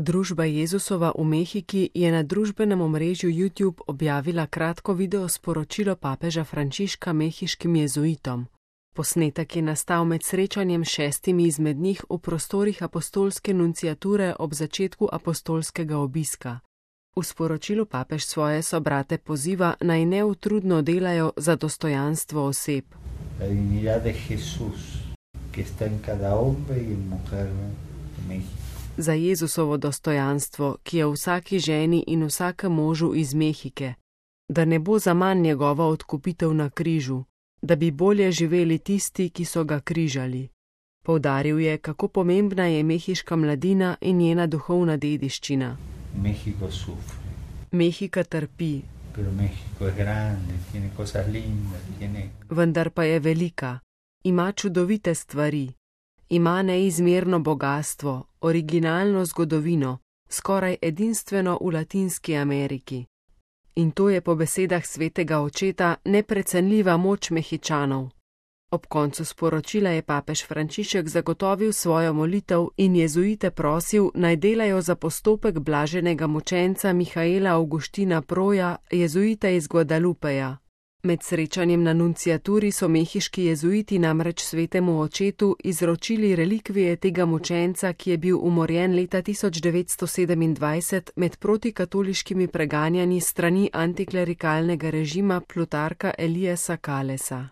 Družba Jezusova v Mehiki je na družbenem omrežju YouTube objavila kratko video sporočilo papeža Frančiška mehiškim jezuitom. Posnetek je nastal med srečanjem 6 izmed njih v prostorih apostolske nunciature ob začetku apostolskega obiska. V sporočilu papež svoje sobrate poziva, naj neutrudno delajo za dostojanstvo oseb. La dignidad de Jesús, que está en cada hombre y mujer de México. Za Jezusovo dostojanstvo, ki je v vsaki ženi in vsakem možu iz Mehike, da ne bo zaman njegova odkupitev na križu, da bi bolje živeli tisti, ki so ga križali. Poudaril je, kako pomembna je mehiška mladina in njena duhovna dediščina. México sufre. Mehika trpi. Pero México es grande, tiene cosas lindas, tiene... Vendar pa je velika, ima čudovite stvari. Ima neizmerno bogastvo, originalno zgodovino, skoraj edinstveno v Latinski Ameriki. In to je po besedah svetega očeta neprecenljiva moč Mehičanov. Ob koncu sporočila je papež Frančišek zagotovil svojo molitev in jezuite prosil, naj delajo za postopek blaženega mučenca Mihaela Augustina Proja, jezuita iz Guadalupeja. Med srečanjem na nunciaturi so mehiški jezuiti namreč svetemu očetu izročili relikvije tega mučenca, ki je bil umorjen leta 1927 med protikatoliškimi preganjanji strani antiklerikalnega režima Plutarka Eliasa Kalesa.